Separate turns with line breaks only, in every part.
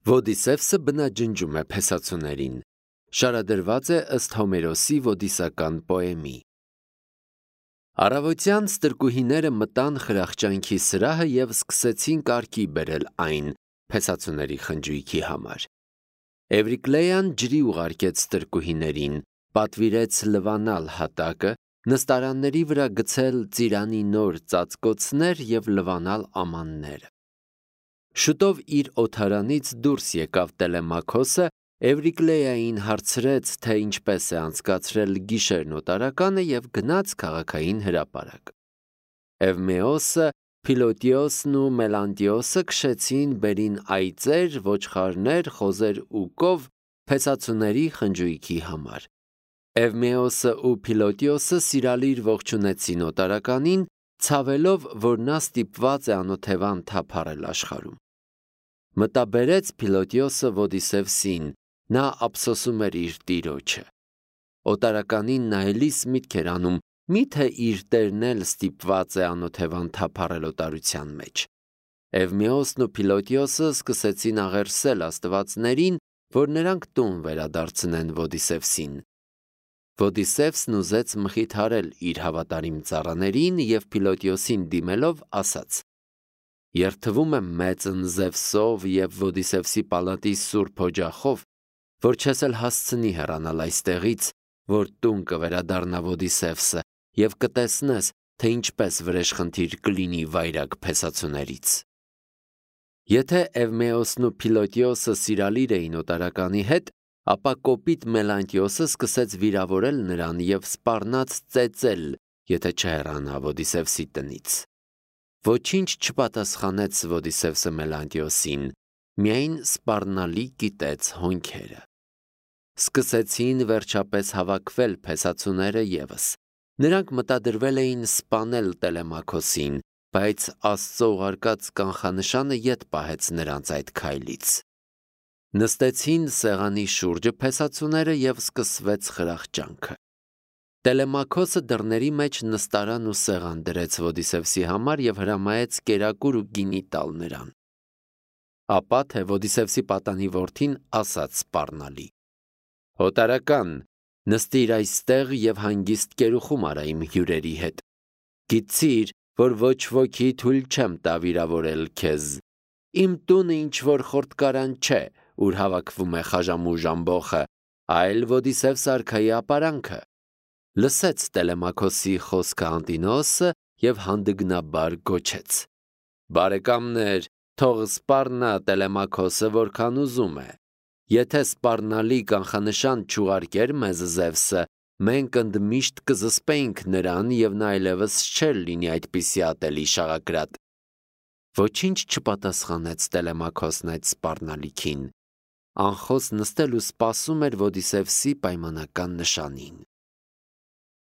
Ոդիսևսը բնաջնջում է փեսացուներին։ Շարադրված է ըստ Հոմերոսի ոդիսական պոեմի։ Առավոտյան ստրկուհիները մտան խրախճանքի սրահը և սկսեցին կարգի բերել այն փեսացուների խնջույքի համար։ Էվրիկլեան ջրի ուղարկեց ստրկուհիներին, պատվիրեց լվանալ հատակը, նստարանների վրա գցել ծիրանի նոր ծածկոցներ և լվանալ ամանները։ Շուտով իր օդարանից դուրս եկավ Տելեմաքոսը, Էվրիկլեային հարցրեց, թե ինչպես է անցկացրել գիշերն օտարականը և գնաց քաղաքային հրապարակ։ Էվմեոսը, Փիլոտիոսն ու Մելանտիոսը քշեցին բերին այծեր, ոչխարներ, խոզեր ու կով փեսացուների խնջույքի համար։ Էվմեոսը ու Փիլոտիոսը սիրալիր ողջունեցին օտարականին, ցավելով, որ նա ստիպված է անօթևան թափառել աշխարհում։ Մտաբերեց Փիլոտիոսը Ոդիսևսին, նա ափսոսում էր իր տիրոջը։ Օտարականին նայելիս միտք էր անում, միթե իր տերն էլ ստիպված է անօթևան թափառել օտարության մեջ։ Էվմեոսն ու Փիլոտիոսը սկսեցին աղերսել աստվածներին, որ նրանք տուն վերադարձնեն Ոդիսևսին։ Ոդիսևսն ուզեց մխիթարել իր հավատարիմ ծառաներին և Փիլոտիոսին դիմելով ասաց. «Երդվում եմ մեծն Զևսով և Ոդիսևսի պալատի սուրբ օջախով, որ չես էլ հասցնի հեռանալ այստեղից, որ տուն կվերադառնա Ոդիսևսը և կտեսնես, թե ինչպես վրեժխնդիր կլինի վայրագ փեսացուներից»։ Եթե Էվմեոսն ու Փիլոտիոսը սիրալիր էին օտարականի հետ, ապա կոպիտ Մելանտիոսը սկսեց վիրավորել նրան և սպառնաց ծեծել, եթե չհեռանա Ոդիսևսի տնից։ Ոչինչ չպատասխանեց Ոդիսևսը Մելանտիոսին, միայն սպառնալի կիտեց հոնքերը։ Սկսեցին վերջապես հավաքվել փեսացուները ևս։ Նրանք մտադրվել էին սպանել Տելեմաքոսին, բայց Աստծո ուղարկած կանխանշանը ետ պահեց նրանց այդ քայլից։ Նստեցին սեղանի շուրջը փեսացուները և սկսվեց խրախճանքը։ Տելեմաքոսը դռների մեջ նստարան ու սեղան դրեց Ոդիսևսի համար և հրամայեց կերակուր ու գինի տալ նրան։ Ապա թե Ոդիսևսի պատանի որդին ասաց սպառնալի. «Օտարական, նստիր այստեղ և հանգիստ կերուխում արա իմ հյուրերի հետ։ Գիտցիր, որ ոչ ոքի թույլ չեմ տա վիրավորել քեզ։ Իմ տունը ինչ-որ խորտկարան չէ, ուր հավաքվում է խաժամուժ ամբոխը, այլ Ոդիսևս արքայի ապարանքը»։ Լսեց Տելեմաքոսի խոսքը Անտինոոսը և հանդգնաբար գոչեց. «Բարեկամներ, թող սպառնա Տելեմաքոսը որքան ուզում է։ Եթե սպառնալի կանխանշան չուղարկեր մեզ Զևսը, մենք ընդմիշտ կզսպեինք նրան և նա այլևս չէր լինի այդպիսի ատելի շաղակրատ»։ Ոչինչ չպատասխանեց Տելեմաքոսն այդ սպառնալիքին։ Անխոս նստել ու սպասում էր Ոդիսևսի պայմանական նշանին։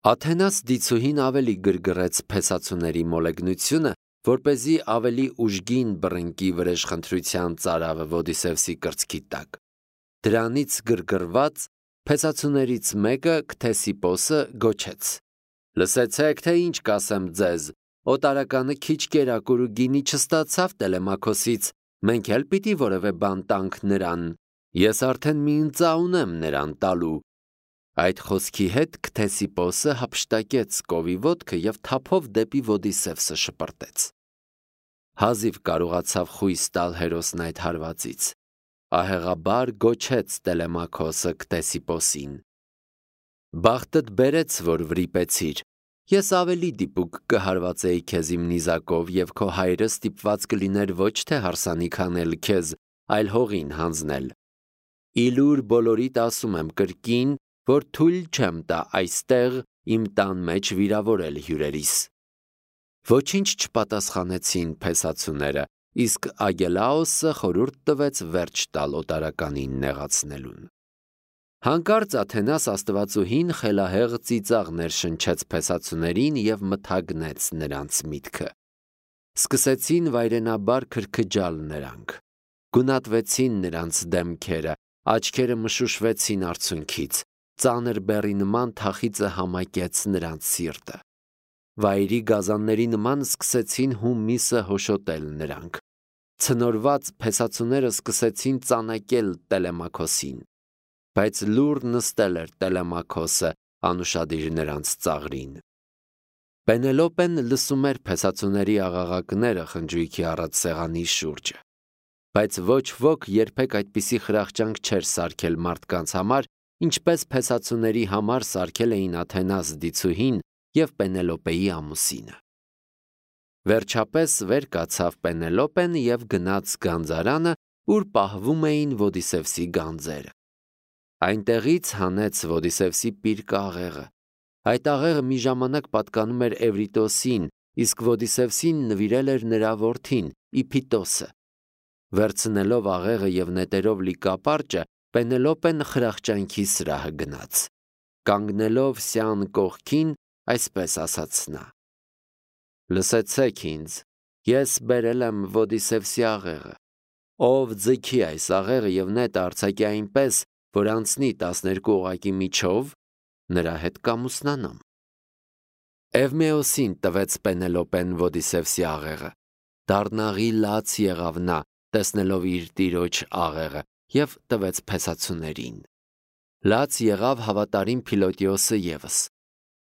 Աթենաս դիցուհին ավելի գրգռեց փեսացուների մոլեգնությունը, որպեսզի ավելի ուժգին բռնկի վրեժխնդրության ծարավը Ոդիսևսի կրծքի տակ։ Դրանից գրգռված փեսացուներից մեկը, Քթեսիպոսը, գոչեց. «Լսեցեք, թե ինչ կասեմ ձեզ, օտարականը քիչ կերակուր ու գինի չստացավ Տելեմաքոսից, մենք էլ պիտի որևէ բան տանք նրան, ես արդեն մի ընծա ունեմ նրան տալու»։ Այդ խոսքի հետ Քթեսիպոսը հափշտակեց կովի ոտքը և թափով դեպի Ոդիսևսը շպրտեց։ Հազիվ կարողացավ խույս տալ հերոսն այդ հարվածից։ Ահեղաբար գոչեց Տելեմաքոսը Քթեսիպոսին. «Բախտդ բերեց, որ վրիպեցիր։ Ես ավելի դիպուկ կհարվածեի քեզ իմ նիզակով, և քո հայրը ստիպված կլիներ ոչ թե հարսանիք անել քեզ, այլ հողին հանձնել։ Ի լուր բոլորիդ ասում եմ կրկին, որ թույլ չեմ տա այստեղ իմ տան մեջ վիրավորել հյուրերիս»։ Ոչինչ չպատասխանեցին փեսացուները, իսկ Ագելաոսը խորհուրդ տվեց վերջ տալ օտարականին նեղացնելուն։ Հանկարծ Աթենաս աստվածուհին խելահեղ ծիծաղ ներշնչեց փեսացուներին և մթագնեց նրանց միտքը։ Սկսեցին վայրենաբար քրքջալ նրանք։ Գունատվեցին նրանց դեմքերը, աչքերը մշուշվեցին արցունքից, ծանր բեռի նման թախիծը համակեց նրանց սիրտը։ Վայրի գազանների նման սկսեցին հումիսը հոշոտել նրանք։ Ցնորված փեսացուները սկսեցին ծանակել Տելեմաքոսին, բայց լուր նստել էր Տելեմաքոսը անուշադիր նրանց ծաղրին։ Պենելոպեն լսում էր փեսացուների աղաղակները խնջույքի առած սեղանի շուրջը, բայց ոչ ոք երբեք այդպիսի խրախճանք չէր սարքել մարդկանց համար, ինչպես փեսացուների համար սարքել էին Աթենաս դիցուհին և Պենելոպեի ամուսինը։ Վերջապես վեր կացավ Պենելոպեն և գնաց գանձարանը, ուր պահվում էին Ոդիսևսի գանձերը։ Այնտեղից հանեց Ոդիսևսի պիրկը աղեղը։ Այդ աղեղը մի ժամանակ պատկանում էր Էվրիտոսին, իսկ Ոդիսևսին նվիրել էր նրա որդին Իփիտոսը։ Վերցնելով աղեղը և նետերով լի կապարճը, Պենելոպեն խրախճանքի սրահը գնաց։ Կանգնելով Սյան կողքին, այսպես ասաց նա. «Լսեցեք ինձ, ես բերել եմ Ոդիսևսի աղեղը, ով ձգի այս աղեղը և նետը արձակի այնպես, որ անցնի 12 օղակի միջով, նրա հետ կամուսնանամ»։ Էվմեոսին տվեց Պենելոպեն Ոդիսևսի աղեղը։ Դառնաղի լաց եղավ նա, տեսնելով իր տիրոջ աղեղը, և տվեց փեսացուներին։ Լաց եղավ հավատարիմ Փիլոտիոսը ևս։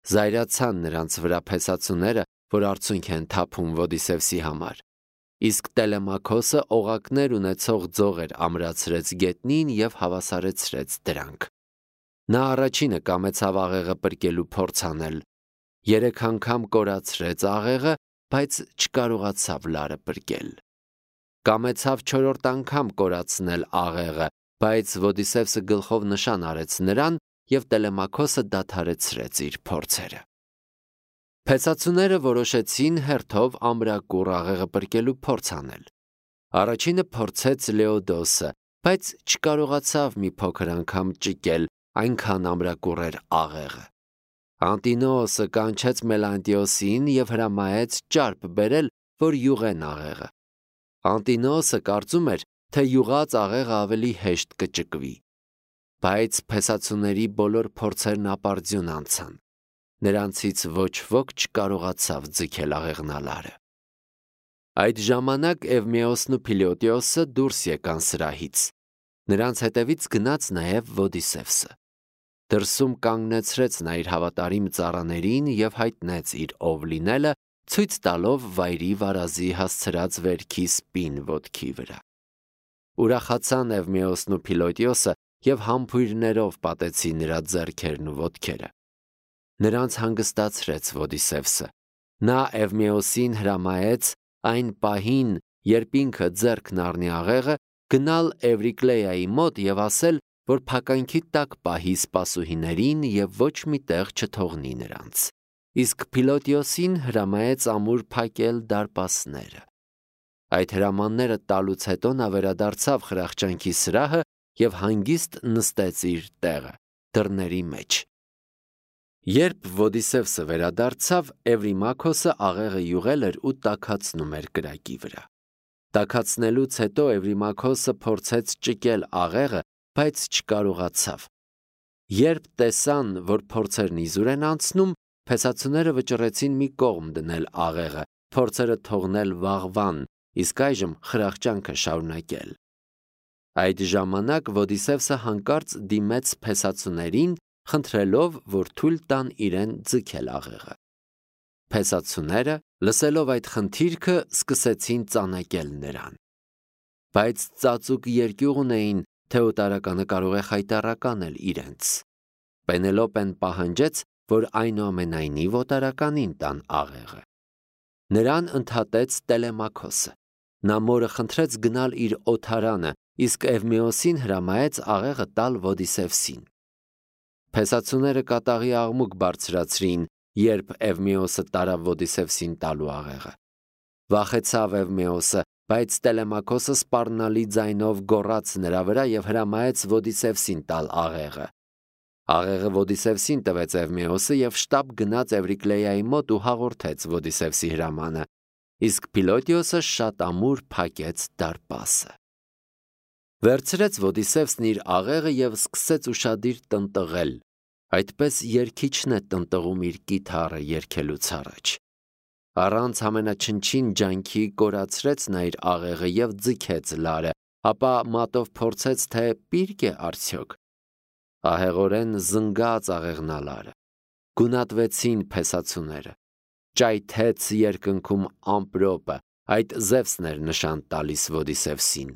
Զայրացան նրանց վրա փեսացուները, որ արցունք են թափում Ոդիսևսի համար, իսկ Տելեմաքոսը օղակներ ունեցող ձողեր ամրացրեց գետնին և հավասարեցրեց դրանք։ Նա առաջինը կամեցավ աղեղը պրկելու փորձ անել, 3 անգամ կորացրեց աղեղը, բայց չկարողացավ լարը պրկել։ Կամեցավ 4-րդ անգամ կորացնել աղեղը, բայց Ոդիսևսը գլխով նշան արեց նրան, և Տելեմաքոսը դադարեցրեց իր փորձերը։ Փեսացուները որոշեցին հերթով ամրակուռ աղեղը պրկելու փորձ անել։ Առաջինը փորձեց Լեոդոսը, բայց չկարողացավ մի փոքր անգամ ճկել, այնքան ամրակուռ էր աղեղը։ Անտինոոսը կանչեց Մելանտիոսին և հրամայեց ճարպ բերել, որ յուղեն աղեղը։ Անտինոոսը կարծում էր, թե յուղած աղեղը ավելի հեշտ կճկվի։ Բայց փեսացուների բոլոր փորձերն ապարդյուն անցան։ Նրանցից ոչ ոք չկարողացավ ձգել աղեղնալարը։ Այդ ժամանակ Էվմեոսն ու Փիլոտիոսը դուրս եկան սրահից։ Նրանց հետևից գնաց նաև Ոդիսևսը։ Դրսում կանգնեցրեց նա իր հավատարիմ ծառաներին և հայտնեց իր ով լինելը, ցույց տալով վայրի վարազի հասցրած վերքի սպին ոտքի վրա։ Ուրախացան Էվմեոսն ու Փիլոտիոսը և համբույրներով պատեցին նրա ձեռքերն ու ոտքերը։ Նրանց հանգստացրեց Ոդիսևսը։ Նա Էվմեոսին հրամայեց այն պահին, երբ ինքը ձեռքն առնի աղեղը, գնալ Էվրիկլեայի մոտ և ասել, որ փականքի տակ պահի սպասուհիներին և ոչ մի տեղ չթողնի նրանց։ Իսկ Փիլոտիոսին հրամայեց ամուր փակել դարպասները։ Այդ հրամանները տալուց հետո նա վերադարձավ խրախճանքի սրահը և հանգիստ նստեց իր տեղը, դռների մեջ։ Երբ Ոդիսևսը վերադարձավ, Էվրիմաքոսը աղեղը յուղել էր ու տաքացնում էր կրակի վրա։ Տաքացնելուց հետո Էվրիմաքոսը փորձեց ճկել աղեղը, բայց չկարողացավ։ Երբ տեսան, որ փորձերն իզուր են անցնում, փեսացուները վճռեցին մի կողմ դնել աղեղը, փորձերը թողնել վաղվան, իսկ այժմ խրախճանքը շարունակել։ Այդ ժամանակ Ոդիսևսը հանկարծ դիմեց փեսացուներին, խնդրելով, որ թույլ տան իրեն ձգել աղեղը։ Փեսացուները, լսելով այդ խնդիրքը, սկսեցին ծանակել նրան։ Բայց ծածուկ երկյուղ ունեին, թե օտարականը կարող է խայտառականել իրենց։ Պենելոպեն պահանջեց, որ այնուամենայնիվ օտարականին տան աղեղը։ Նրան ընդհատեց Տելեմաքոսը։ Նա մորը խնդրեց գնալ իր օթարանը, իսկ Էվմեոսին հրամայեց աղեղը տալ Ոդիսևսին։ Փեսացուները կատաղի աղմուկ բարձրացրին, երբ Էվմեոսը տարավ Ոդիսևսին տալու աղեղը։ Վախեցավ Էվմեոսը, բայց Տելեմաքոսը սպառնալի ձայնով գոռաց նրա վրա և հրամայեց Ոդիսևսին տալ աղեղը։ Աղեղը Ոդիսևսին տվեց Էվմեոսը և շտապ գնաց Էվրիկլեայի մոտ ու հաղորդեց Ոդիսևսի հրամանը, իսկ Փիլոտիոսը շատ ամուր փակեց դարպասը։ Վերցրեց Ոդիսևսն իր աղեղը և սկսեց ուշադիր տնտղել, այդպես երգիչն է տնտղում իր կիթառը երգելուց առաջ։ Առանց ամենաչնչին ջանքի կորացրեց նա իր աղեղը և ձգեց լարը, ապա մատով փորձեց, թե պիրկ է արդյոք։ Ահեղորեն զնգաց աղեղնալարը, գունատվեցին փեսացուները, ճայթեց երկնքում ամպրոպը, այդ Զևսն էր նշան տալիս Ոդիսևսին։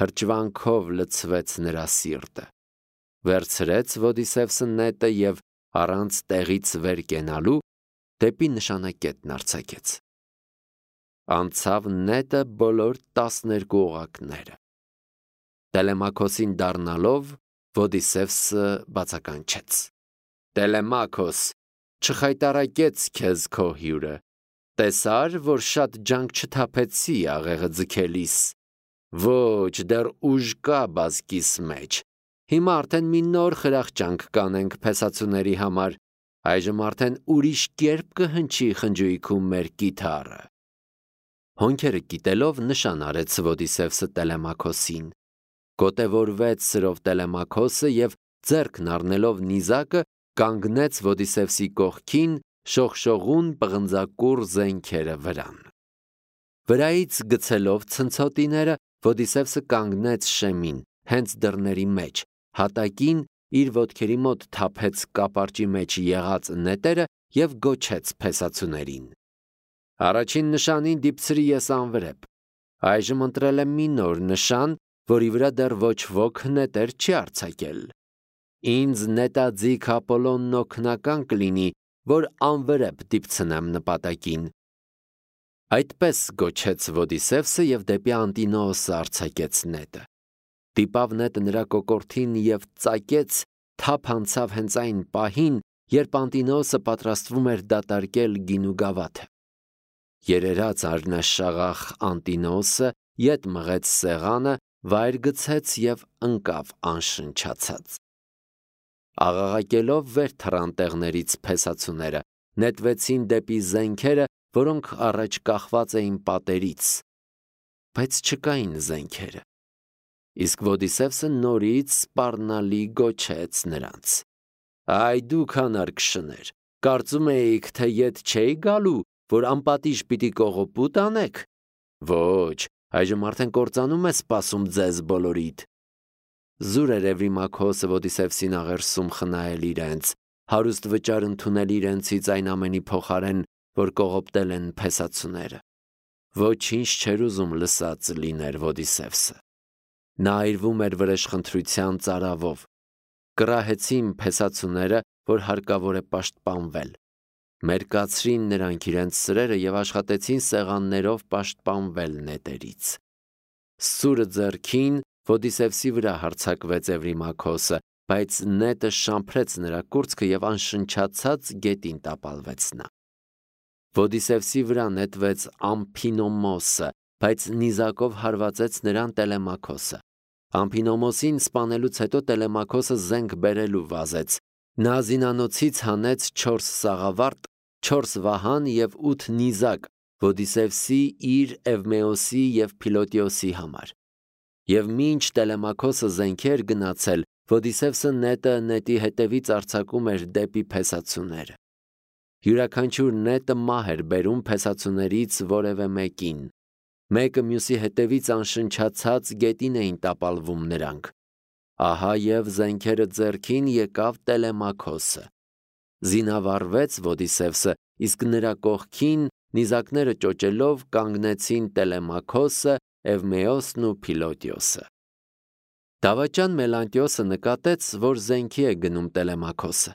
Հրճվանքով լցվեց նրա սիրտը։ Վերցրեց Ոդիսևսը նետը և առանց տեղից վեր կենալու դեպի նշանակետն արձակեց։ Անցավ նետը բոլոր 12 օղակները։ Տելեմաքոսին դառնալով Ոդիսևսը բացականչեց. «Տելեմաքոս, չխայտարակեց քեզ քո հյուրը, տեսար, որ շատ ջանք չթափեցի աղեղը ձգելիս։ Ոչ, դեռ ուժ կա բազկիս մեջ։ Հիմա արդեն մի նոր խրախճանք կանենք փեսացուների համար, այժմ արդեն ուրիշ կերպ կհնչի խնջույքում մեր կիթառը»։ Հոնքերը կիտելով նշան արեց Ոդիսևսը Տելեմաքոսին։ Գոտևորվեց սրով Տելեմաքոսը և ձեռքն առնելով նիզակը կանգնեց Ոդիսևսի կողքին, շողշողուն պղնձակուռ զենքերը վրան։ Վրայից գցելով ցնցոտիները Ոդիսևսը կանգնեց շեմին, հենց դռների մեջ, հատակին իր ոտքերի մոտ թափեց կապարճի մեջ եղած նետերը և գոչեց փեսացուներին. «Առաջին նշանին դիպցրի ես անվրեպ, այժմ ընտրել եմ մի նոր նշան, որի վրա դեռ ոչ ոք նետեր չի արձակել։ Ինձ նետաձիգ Ապոլոնն օգնական կլինի, որ անվրեպ դիպցնեմ նպատակին»։ Այդպես գոչեց Ոդիսևսը և դեպի Անտինոոսը արձակեց նետը։ Դիպավ նետը նրա կոկորդին և ծակեց, թափ անցավ հենց այն պահին, երբ Անտինոոսը պատրաստվում էր դատարկել գինու գավաթը։ Երերած արնաշաղախ Անտինոոսը ետ մղեց սեղանը, վայր գցեց և ընկավ անշնչացած։ Աղաղակելով վեր թռան տեղներից փեսացուները, նետվեցին դեպի զենքերը, որոնք առաջ կախված էին պատերից, բայց չկային զենքերը։ Իսկ Ոդիսևսը նորից սպառնալի գոչեց նրանց. «Այ դուք անարգ շներ, կարծում էիք, թե ետ չէի գալու, որ անպատիժ պիտի կողոպուտ անեք։ Ոչ, այժմ արդեն կործանում է սպասում ձեզ բոլորիդ»։ Զուր էր Էվրիմաքոսը Ոդիսևսին աղերսում խնայել իրենց, հարուստ վճար ընդունել իրենցից այն ամենի փոխարեն, որ կողոպտել են փեսացուները։ Ոչինչ չէր ուզում լսած լիներ Ոդիսևսը։ Նա այրվում էր վրեժխնդրության ծարավով։ Կռահեցին փեսացուները, որ հարկավոր է պաշտպանվել։ Մերկացրին նրանք իրենց սրերը և աշխատեցին սեղաններով պաշտպանվել նետերից։ Սուրը ձեռքին Ոդիսևսի վրա հարձակվեց Էվրիմաքոսը, բայց նետը շամփրեց նրա կուրծքը և անշնչացած գետին տապալվեց նա։ Ոդիսևսի վրա նետվեց Ամփինոմոսը, բայց նիզակով հարվածեց նրան Տելեմաքոսը։ Ամփինոմոսին սպանելուց հետո Տելեմաքոսը զենք բերելու վազեց։ Նա զինանոցից հանեց 4 սաղավարտ, 4 վահան և 8 նիզակ Ոդիսևսի, իր, Էվմեոսի և Փիլոտիոսի համար։ Եվ մինչ Տելեմաքոսը զենքի էր գնացել, Ոդիսևսը նետը նետի հետևից արձակում էր դեպի փեսացուները։ Յուրաքանչյուր նետը մահ էր բերում փեսացուներից որևէ մեկին։ Մեկը մյուսի հետևից անշնչացած գետին էին տապալվում նրանք։ Ահա և զենքերը ձեռքին եկավ Տելեմաքոսը։ Զինավառվեց Ոդիսևսը, իսկ նրա կողքին նիզակները ճոճելով կանգնեցին Տելեմաքոսը, Էվմեոսն ու Փիլոտիոսը։ Դավաճան Մելանտիոսը նկատեց, որ զենքի է գնում Տելեմաքոսը։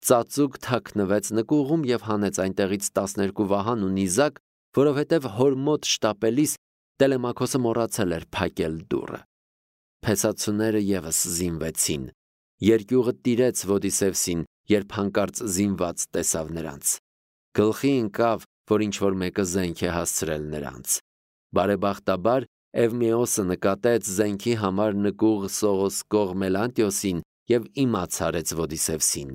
Ծածուկ թաքնվեց նկուղում և հանեց այնտեղից 12 վահան ու նիզակ, որովհետև հոր մոտ շտապելիս Տելեմաքոսը մոռացել էր փակել դուռը։ Փեսացուները ևս զինվեցին։ Երկյուղը տիրեց Ոդիսևսին, երբ հանկարծ զինված տեսավ նրանց։ Գլխի ընկավ, որ ինչ-որ մեկը զենք է հասցրել նրանց։ Բարեբախտաբար Էվմեոսը նկատեց զենքի համար նկուղ սողոսկող Մելանտիոսին և իմաց արեց Ոդիսևսին։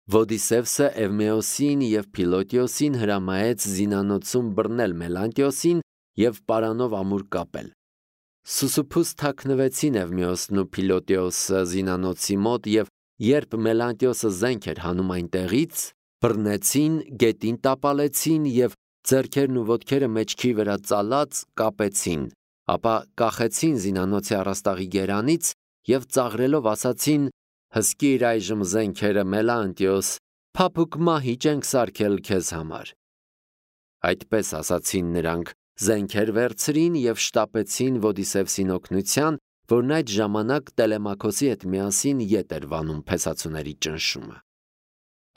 Ոդիսևսը Էվմեոսին և Փիլոտիոսին հրամայեց զինանոցում բռնել Մելանտիոսին և պարանով ամուր կապել։ Սուսուփուս թաքնվեցին Էվմեոսն ու Փիլոտիոսը զինանոցի մոտ և երբ Մելանտիոսը զենք էր հանում այնտեղից, բռնեցին, գետին տապալեցին և Ձեռքերն ու ոտքերը մեջքի վրա ծալած կապեցին, ապա կախեցին զինանոցի առաստաղի գերանից և ծաղրելով ասացին. «Հսկիր այժմ զենքերը, Մելանտիոս, փափուկ մահիճ ենք սարքել քեզ համար»։ Այդպես ասացին նրանք, զենքեր վերցրին և շտապեցին Ոդիսևսին օգնության, որն այդ ժամանակ Տելեմաքոսի հետ միասին ետ էր վանում փեսացուների ճնշումը։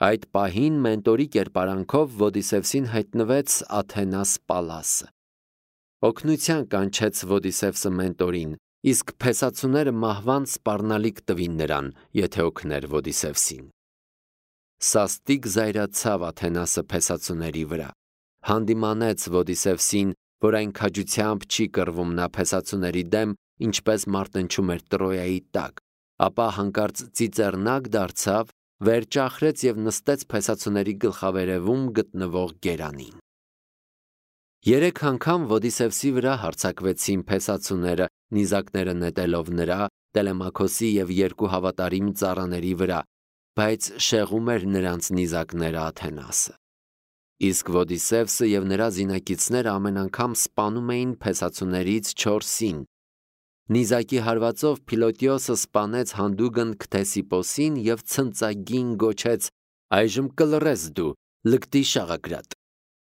Այդ պահին մենտորի կերպարանքով Ոդիսևսին հայտնվեց Աթենաս Պալասը։ Օգնության կանչեց Ոդիսևսը մենտորին, իսկ փեսացուները մահվան սպառնալիք տվին նրան, եթե օգներ Ոդիսևսին։ Սաստիկ զայրացավ Աթենասը փեսացուների վրա, հանդիմանեց Ոդիսևսին, որ այն քաջությամբ չի կռվում նա փեսացուների դեմ, ինչպես մարտնչում էր Տրոյայի տակ, ապա հանկարծ ծիծեռնակ դարձավ, վեր ճախրեց և նստեց փեսացուների գլխավերևում գտնվող գերանին։ 3 անգամ Ոդիսևսի վրա հարձակվեցին փեսացուները, նիզակները նետելով նրա, Տելեմաքոսի և 2 հավատարիմ ծառաների վրա, բայց շեղում էր նրանց նիզակները Աթենասը։ Իսկ Ոդիսևսը և նրա զինակիցները ամեն անգամ սպանում էին փեսացուներից 4-ին։ Նիզակի հարվածով Փիլոտիոսը սպանեց հանդուգն Քթեսիպոսին և ցնծագին գոչեց. «Այժմ կլռես դու, լկտի շաղակրատ։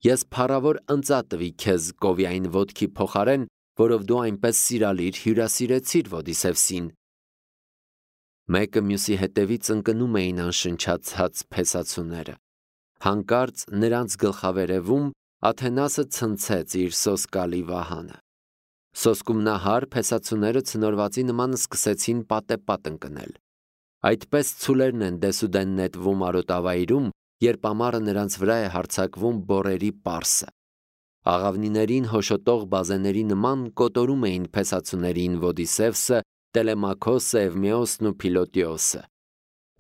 Ես փառավոր ընծա տվի քեզ Կովիային ոտքի փոխարեն, որով դու այնպես սիրալիր հյուրասիրեցիր Ոդիսևսին»։ Մեկը մյուսի հետևից ընկնում էին անշնչացած փեսացուները։ Հանկարծ նրանց գլխավերևում Աթենասը ցնցեց իր սոսկալի վահանը։ Սոսկումնահար փեսացուները ցնորվածի նման սկսեցին պատեպատ ընկնել։ Այդպես ցուլերն են դեսուդեն նետվում արոտավայրում, երբ ամառը նրանց վրա է հարձակվում բոռերի պարսը։ Աղավնիներին հոշոտող բազեների նման կոտորում էին փեսացուներին Ոդիսևսը, Տելեմաքոսը, Էվմեոսն ու Փիլոտիոսը։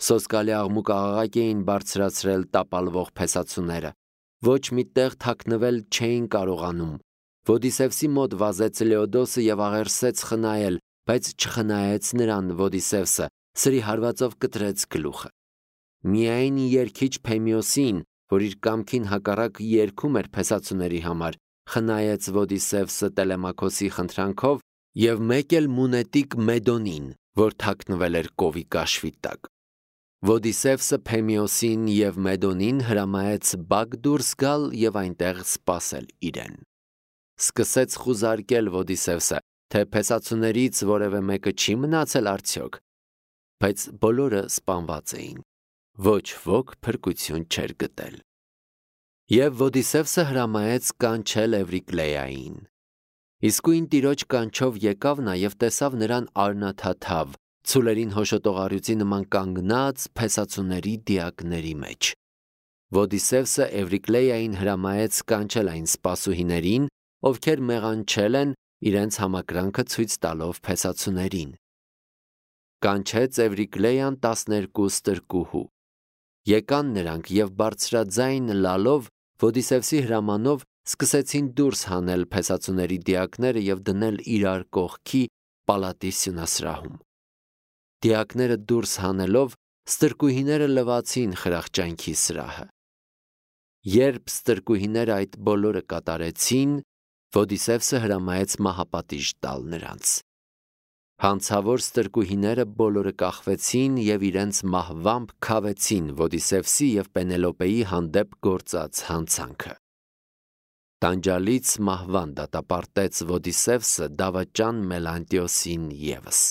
Սոսկալի աղմուկ-աղաղակ էին բարձրացրել տապալվող փեսացուները։ Ոչ մի տեղ թաքնվել չէին կարողանում։ Ոդիսևսի մոտ վազեց Լեոդոսը և աղերսեց խնայել, բայց չխնայեց նրան Ոդիսևսը, սրի հարվածով կտրեց գլուխը։ Միայն երգիչ Փեմիոսին, որ իր կամքին հակառակ երգում էր փեսացուների համար, խնայեց Ոդիսևսը Տելեմաքոսի խնդրանքով և մեկ էլ մունետիկ Մեդոնին, որ թաքնվել էր կովի կաշվի տակ։ Ոդիսևսը Փեմիոսին և Մեդոնին հրամայեց բակ դուրս գալ և այնտեղ սպասել իրեն։ Սկսեց խուզարկել Ոդիսևսը, թե փեսացուներից որևէ մեկը չի մնացել արդյոք, բայց բոլորը սպանված էին։ Ոչ ոք փրկություն չէր գտել։ Եվ Ոդիսևսը հրամայեց կանչել Էվրիկլեային։ Իսկույն տիրոջ կանչով եկավ նա և տեսավ նրան արնաթաթավ, ցուլերին հոշոտող առյուծի նման կանգնած փեսացուների դիակների մեջ։ Ոդիսևսը Էվրիկլեային հրամայեց կանչել այն սպասուհիներին, ովքեր մեղանչել են, իրենց համակրանքը ցույց տալով փեսացուներին։ Կանչեց Էվրիկլեան 12 ստրկուհու։ Եկան նրանք և բարձրաձայն լալով Ոդիսևսի հրամանով սկսեցին դուրս հանել փեսացուների դիակները և դնել իրար կողքի պալատի սյունասրահում։ Դիակները դուրս հանելով ստրկուհիները լվացին խրախճանքի սրահը։ Երբ ստրկուհիները այդ բոլորը կատարեցին, Ոդիսևսը հրամայեց մահապատիժ տալ նրանց։ Հանցավոր ստրկուհիները բոլորը կախվեցին և իրենց մահվամբ քավեցին Ոդիսևսի և Պենելոպեի հանդեպ գործած հանցանքը։ Տանջալից մահվան դատապարտեց Ոդիսևսը դավաճան Մելանտիոսին ևս։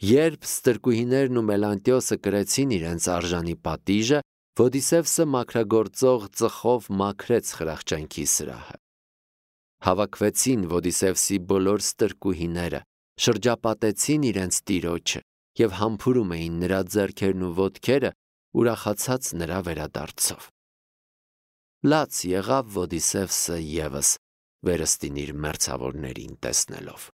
Երբ ստրկուհիներն ու Մելանտիոսը կրեցին իրենց արժանի պատիժը, Ոդիսևսը մաքրագործող ծխով մաքրեց խրախճանքի սրահը։ Հավաքվեցին Ոդիսևսի բոլոր ստրկուհիները, շրջապատեցին իրենց տիրոջը և համբուրում էին նրա ձեռքերն ու ոտքերը, ուրախացած նրա վերադարձով։ Լաց եղավ Ոդիսևսը ևս վերստին իր մերձավորներին տեսնելով։